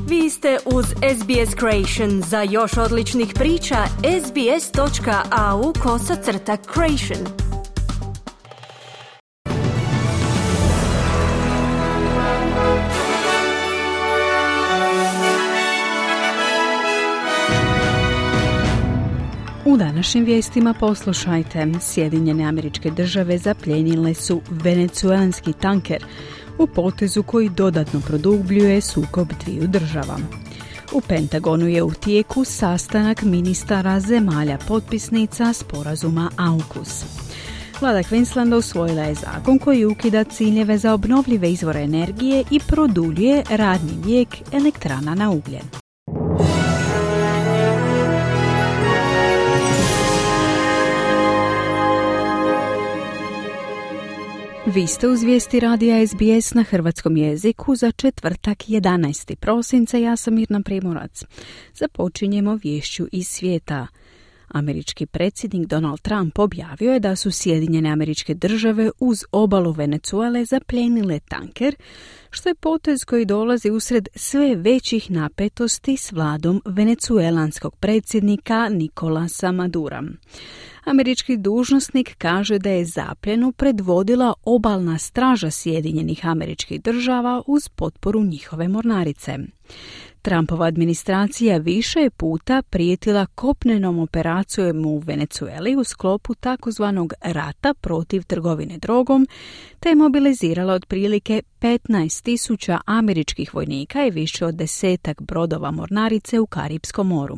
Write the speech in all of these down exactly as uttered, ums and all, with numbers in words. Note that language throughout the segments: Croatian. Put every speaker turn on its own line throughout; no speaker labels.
Vi ste uz S B S Creation. Za još odličnih priča, sbs.au kosacrta creation.
U današnjim vijestima poslušajte. Sjedinjene Američke Države zaplijenile su venecuelanski tanker u potezu koji dodatno produbljuje sukob dviju država. U Pentagonu je u tijeku sastanak ministara zemalja potpisnica sporazuma AUKUS. Vlada Queenslanda usvojila je zakon koji ukida ciljeve za obnovljive izvore energije i produljuje radni vijek elektrana na ugljen. Vi ste uz vijesti radija S B S na hrvatskom jeziku za četvrtak jedanaesti prosinca. Ja sam Mirna Primorac. Započinjemo viješću iz svijeta. Američki predsjednik Donald Trump objavio je da su Sjedinjene Američke Države uz obalu Venezuele zaplijenile tanker, što je potez koji dolazi usred sve većih napetosti s vladom venecuelanskog predsjednika Nicolasa Madura. Američki dužnosnik kaže da je zapljenu predvodila obalna straža Sjedinjenih Američkih Država uz potporu njihove mornarice. Trumpova administracija više je puta prijetila kopnenom operacijom u Venezueli u sklopu takozvanog rata protiv trgovine drogom, te je mobilizirala otprilike petnaest tisuća američkih vojnika i više od desetak brodova mornarice u Karipskom moru.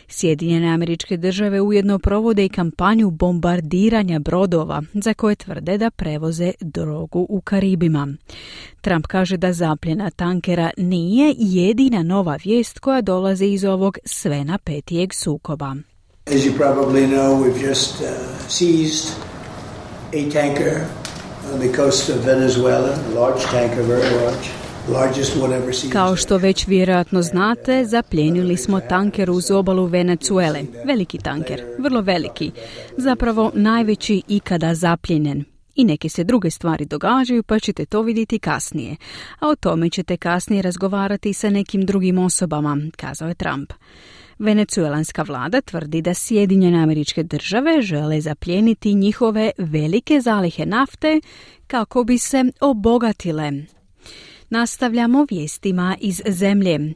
Sjedinjene Američke Države ujedno provode i kampanju bombardiranja brodova za koje tvrde da prevoze drogu u Karibima. Trump kaže da zapljena tankera nije jedina nova vijest koja dolazi iz ovog sve napetijeg sukoba.
As you probably know, we've just uh, seized a tanker on the coast of Venezuela, a large tanker, very large.
Kao što već vjerojatno znate, zaplijenili smo tanker uz obalu Venezuele. Veliki tanker, vrlo veliki. Zapravo najveći ikada zapljenjen. I neke se druge stvari događaju, pa ćete to vidjeti kasnije. A o tome ćete kasnije razgovarati sa nekim drugim osobama, kazao je Trump. Venecuelanska vlada tvrdi da Sjedinjene Američke Države žele zaplijeniti njihove velike zalihe nafte kako bi se obogatile. Nastavljamo vijestima iz zemlje.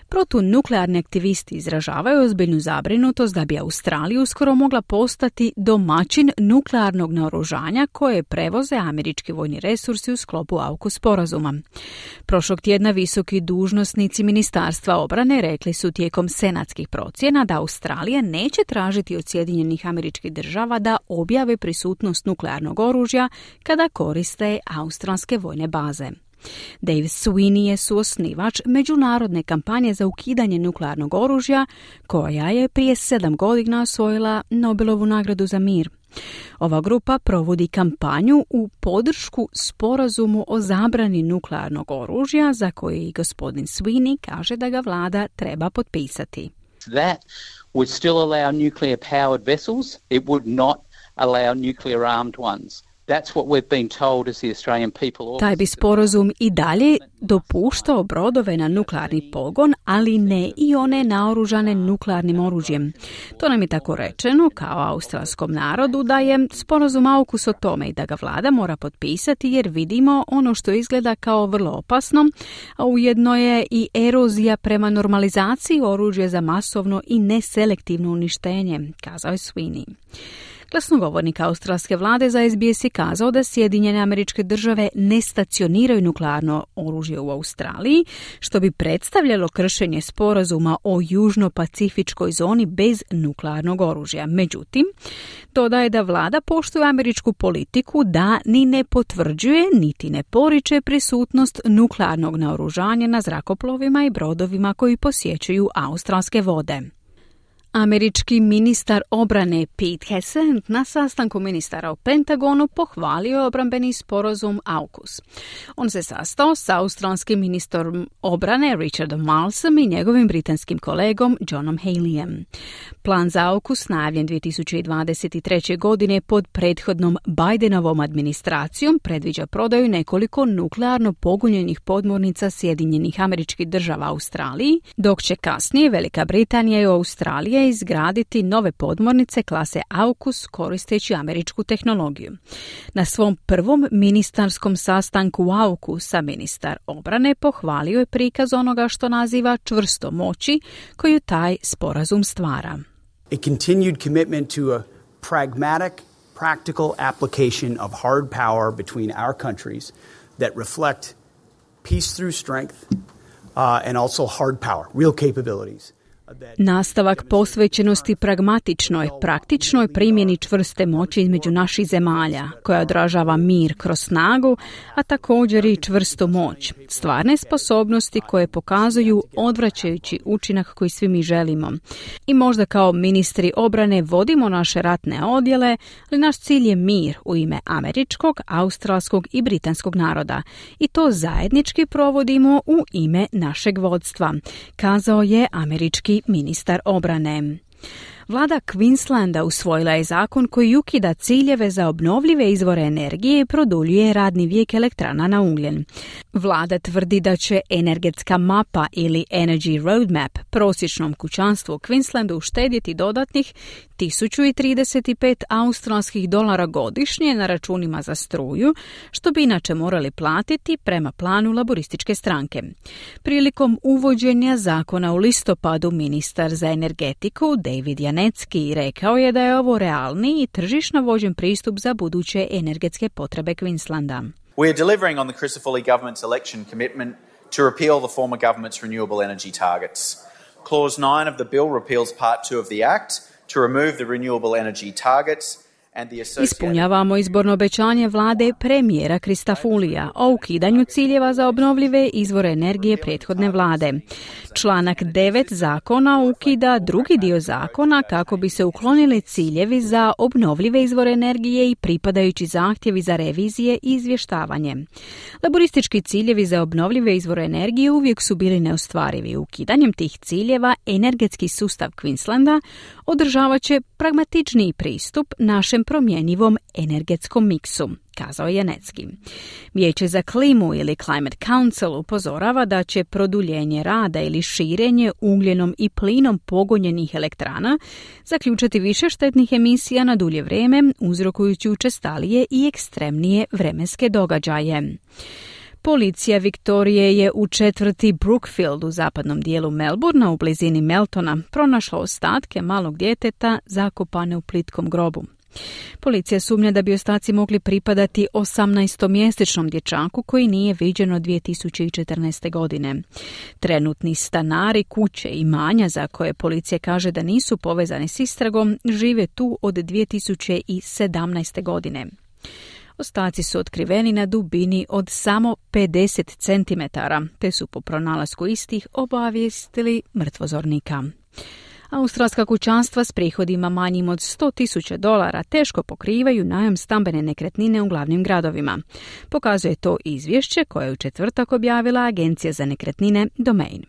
Protunuklearni aktivisti izražavaju ozbiljnu zabrinutost da bi Australija uskoro mogla postati domaćin nuklearnog naoružanja koje prevoze američki vojni resursi u sklopu AUKUS sporazuma. Prošlog tjedna visoki dužnosnici Ministarstva obrane rekli su tijekom senatskih procjena da Australija neće tražiti od Sjedinjenih Američkih Država da objave prisutnost nuklearnog oružja kada koriste australske vojne baze. Dave Sweeney je suosnivač međunarodne kampanje za ukidanje nuklearnog oružja, koja je prije sedam godina osvojila Nobelovu nagradu za mir. Ova grupa provodi kampanju u podršku sporazumu o zabrani nuklearnog oružja, za koji i gospodin Sweeney kaže da ga vlada treba potpisati.
That would still allow nuclear powered vessels. It would not allow nuclear armed ones. That's what we've been told as the Australian people.
Taj bi sporazum i dalje dopuštao brodove na nuklearni pogon, ali ne i one naoružane nuklearnim oružjem. To nam je tako rečeno kao australskom narodu da je sporazum AUKUS o tome i da ga vlada mora potpisati jer vidimo ono što izgleda kao vrlo opasno, a ujedno je i erozija prema normalizaciji oružja za masovno i neselektivno uništenje, kazao je Sweeney. Glasnogovornik australske vlade za S B S je kazao da Sjedinjene Američke Države ne stacioniraju nuklearno oružje u Australiji, što bi predstavljalo kršenje sporazuma o južno-pacifičkoj zoni bez nuklearnog oružja. Međutim, dodaje da vlada poštuje američku politiku da ni ne potvrđuje niti ne poriče prisutnost nuklearnog naoružanja na zrakoplovima i brodovima koji posjećuju australske vode. Američki ministar obrane Pete Hegseth na sastanku ministara u Pentagonu pohvalio obrambeni sporazum AUKUS. On se sastao s australskim ministrom obrane Richardom Marlesom i njegovim britanskim kolegom Johnom Haleyem. Plan za AUKUS najavljen dvije tisuće dvadeset treće. godine pod prethodnom Bidenovom administracijom predviđa prodaju nekoliko nuklearno pogonjenih podmornica Sjedinjenih Američkih Država Australiji, dok će kasnije Velika Britanija i Australija izgraditi nove podmornice klase AUKUS koristeći američku tehnologiju. Na svom prvom ministarskom sastanku AUKUS-a ministar obrane pohvalio je prikaz onoga što naziva čvrsto moći koju taj sporazum stvara.
A continued commitment to a pragmatic, practical application of hard power between our countries that reflect peace through strength uh, and also hard power, real capabilities.
Nastavak posvećenosti pragmatičnoj, praktičnoj primjeni čvrste moći između naših zemalja, koja odražava mir kroz snagu, a također i čvrstu moć. Stvarne sposobnosti koje pokazuju odvraćajući učinak koji svi mi želimo. I možda kao ministri obrane vodimo naše ratne odjele, ali naš cilj je mir u ime američkog, australskog i britanskog naroda. I to zajednički provodimo u ime našeg vodstva, kazao je američki ministar obrane. Vlada Queenslanda usvojila je zakon koji ukida ciljeve za obnovljive izvore energije i produljuje radni vijek elektrana na ugljen. Vlada tvrdi da će energetska mapa ili Energy Roadmap prosječnom kućanstvu u Queenslandu uštedjeti dodatnih tisuću trideset pet australskih dolara godišnje na računima za struju, što bi inače morali platiti prema planu laborističke stranke. Prilikom uvođenja zakona u listopadu ministar za energetiku David Janetski rekao je da je ovo realni i tržišno vođen pristup za buduće energetske potrebe Queenslanda.
We are delivering on the Crisafulli government's election commitment to repeal the former government's renewable energy targets. Clause nine of the bill repeals part two of the act to remove the renewable energy targets.
Ispunjavamo izborno obećanje vlade premijera Christofulija o ukidanju ciljeva za obnovljive izvore energije prethodne vlade. Članak devet zakona ukida drugi dio zakona kako bi se uklonili ciljevi za obnovljive izvore energije i pripadajući zahtjevi za revizije i izvještavanje. Laboristički ciljevi za obnovljive izvore energije uvijek su bili neostvarivi. Ukidanjem tih ciljeva energetski sustav Queenslanda održavat će pragmatičniji pristup našem promjenjivom energetskom miksu, kazao je Janetski. Vijeće za klimu ili Climate Council upozorava da će produljenje rada ili širenje ugljenom i plinom pogonjenih elektrana zaključati više štetnih emisija na dulje vrijeme, uzrokujući učestalije i ekstremnije vremenske događaje. Policija Viktorije je u četvrti Brookfield u zapadnom dijelu Melbourna u blizini Meltona pronašla ostatke malog djeteta zakopane u plitkom grobu. Policija sumnja da bi ostaci mogli pripadati osamnaestomjesečnom dječaku koji nije viđen od dvije tisuće četrnaeste. godine. Trenutni stanari kuće i imanja za koje policija kaže da nisu povezani s istragom žive tu od dvije tisuće sedamnaeste. godine. Ostaci su otkriveni na dubini od samo pedeset centimetara, te su po pronalasku istih obavijestili mrtvozornika. Australska kućanstva s prihodima manjim od sto tisuća dolara teško pokrivaju najam stambene nekretnine u glavnim gradovima. Pokazuje to izvješće koje je u četvrtak objavila Agencija za nekretnine Domain.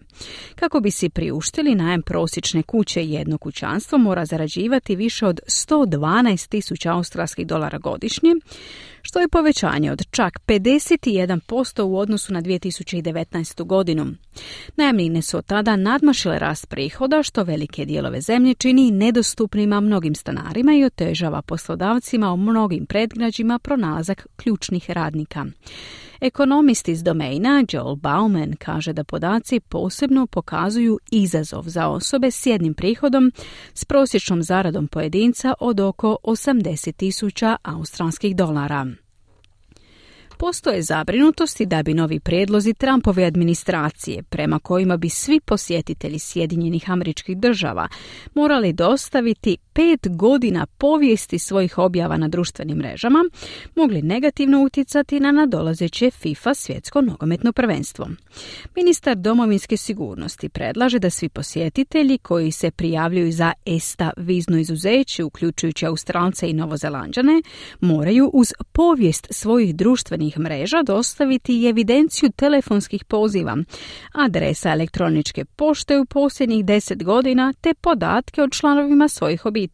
Kako bi si priuštili najam prosječne kuće, jedno kućanstvo mora zarađivati više od sto dvanaest tisuća australskih dolara godišnje, što je povećanje od čak pedeset jedan posto u odnosu na dvije tisuće devetnaestu. godinu. Najamnine su od tada nadmašile rast prihoda, što velike dijelove zemlje čini nedostupnima mnogim stanarima i otežava poslodavcima u mnogim predgrađima pronalazak ključnih radnika. Ekonomist iz Domaina Joel Bauman kaže da podaci posebno pokazuju izazov za osobe s jednim prihodom s prosječnom zaradom pojedinca od oko osamdeset tisuća australskih dolara. Postoje zabrinutosti da bi novi prijedlozi Trumpove administracije, prema kojima bi svi posjetitelji Sjedinjenih Američkih Država morali dostaviti pet godina povijesti svojih objava na društvenim mrežama, mogli negativno utjecati na nadolazeće FIFA svjetsko nogometno prvenstvo. Ministar domovinske sigurnosti predlaže da svi posjetitelji koji se prijavljuju za ESTA vizno izuzeće, uključujući Australce i Novozelanđane, moraju uz povijest svojih društvenih mreža dostaviti i evidenciju telefonskih poziva, adresa elektroničke pošte u posljednjih deset godina te podatke o članovima svojih obitelji.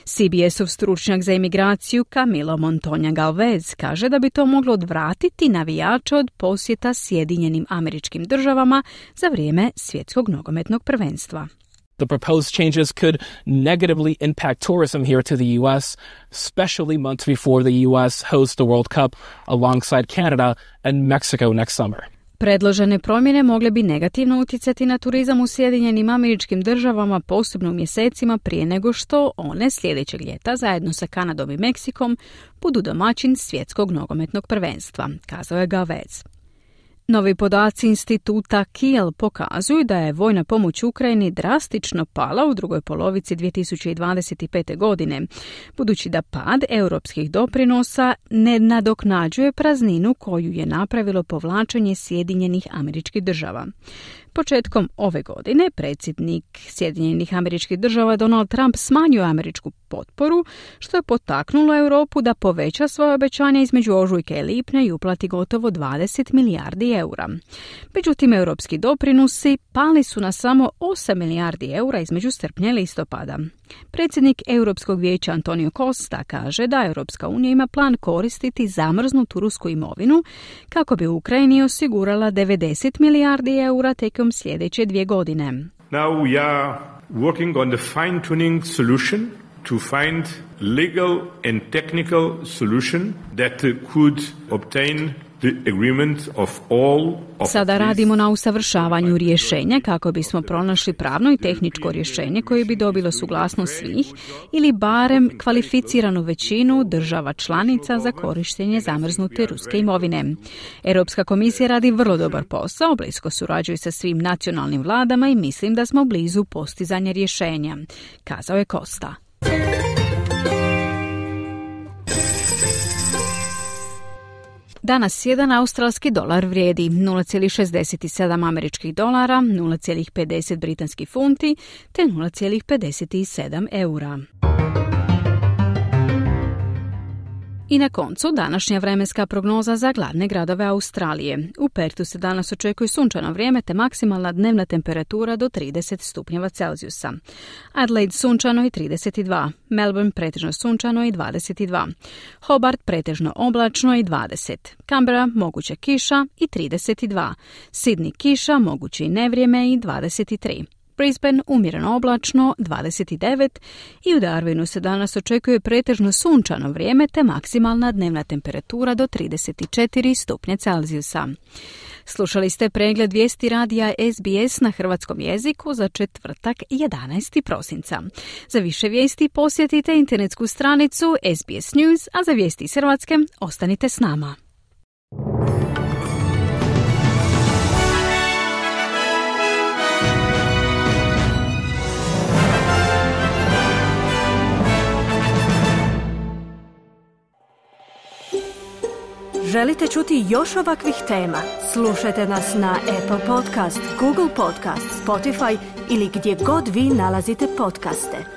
C B S-ov stručnjak za imigraciju Camilo Montoya Galvez kaže da bi to moglo odvratiti navijače od posjeta Sjedinjenim Američkim Državama za vrijeme svjetskog nogometnog prvenstva.
The proposed changes could negatively impact tourism here to the U S, especially months before the U S hosts the World Cup alongside Canada and Mexico next summer.
Predložene promjene mogle bi negativno utjecati na turizam u Sjedinjenim Američkim Državama, posebno u mjesecima prije nego što one sljedećeg ljeta zajedno sa Kanadom i Meksikom budu domaćin svjetskog nogometnog prvenstva, kazao je Galvez. Novi podaci instituta Kiel pokazuju da je vojna pomoć Ukrajini drastično pala u drugoj polovici dvije tisuće dvadeset pete. godine, budući da pad europskih doprinosa ne nadoknađuje prazninu koju je napravilo povlačenje Sjedinjenih Američkih Država. Početkom ove godine predsjednik Sjedinjenih Američkih Država Donald Trump smanjio američku potporu, što je potaknulo Europu da poveća svoje obećanja između ožujka i lipnja i uplati gotovo dvadeset milijardi eura. Međutim, europski doprinosi pali su na samo osam milijardi eura između srpnja i listopada. Predsjednik Europskog vijeća Antonio Costa kaže da Europska unija ima plan koristiti zamrznutu rusku imovinu kako bi Ukrajini osigurala devedeset milijardi eura tijekom sljedeće dvije godine.
Now we are working on the fine-tuning solution to find legal and technical solution that could obtain the agreement of all of
Sada radimo na usavršavanju rješenja kako bismo pronašli pravno i tehničko rješenje koje bi dobilo suglasnost svih ili barem kvalificiranu većinu država članica za korištenje zamrznute ruske imovine. Europska komisija radi vrlo dobar posao, blisko surađuje sa svim nacionalnim vladama i mislim da smo blizu postizanja rješenja, kazao je Costa. Danas jedan australski dolar vrijedi nula zarez šezdeset sedam američkih dolara, nula zarez pedeset britanskih funti te nula zarez pedeset sedam eura. I na koncu današnja vremenska prognoza za glavne gradove Australije. U Pertu se danas očekuje sunčano vrijeme te maksimalna dnevna temperatura do trideset stupnjeva Celzijusa. Adelaide sunčano i trideset dva, Melbourne pretežno sunčano i dvadeset dva, Hobart pretežno oblačno i dvadeset, Canberra moguća kiša i trideset dva, Sydney kiša, moguće i nevrijeme i dvadeset tri. Brisbane umjereno oblačno dvadeset devet i u Darwinu se danas očekuje pretežno sunčano vrijeme te maksimalna dnevna temperatura do trideset četiri stupnja Celzijusa. Slušali ste pregled vijesti radija S B S na hrvatskom jeziku za četvrtak jedanaestog prosinca. Za više vijesti posjetite internetsku stranicu S B S News, a za vijesti iz Hrvatske ostanite s nama.
Želite čuti još ovakvih tema? Slušajte nas na Apple Podcast, Google Podcast, Spotify ili gdje god vi nalazite podcaste.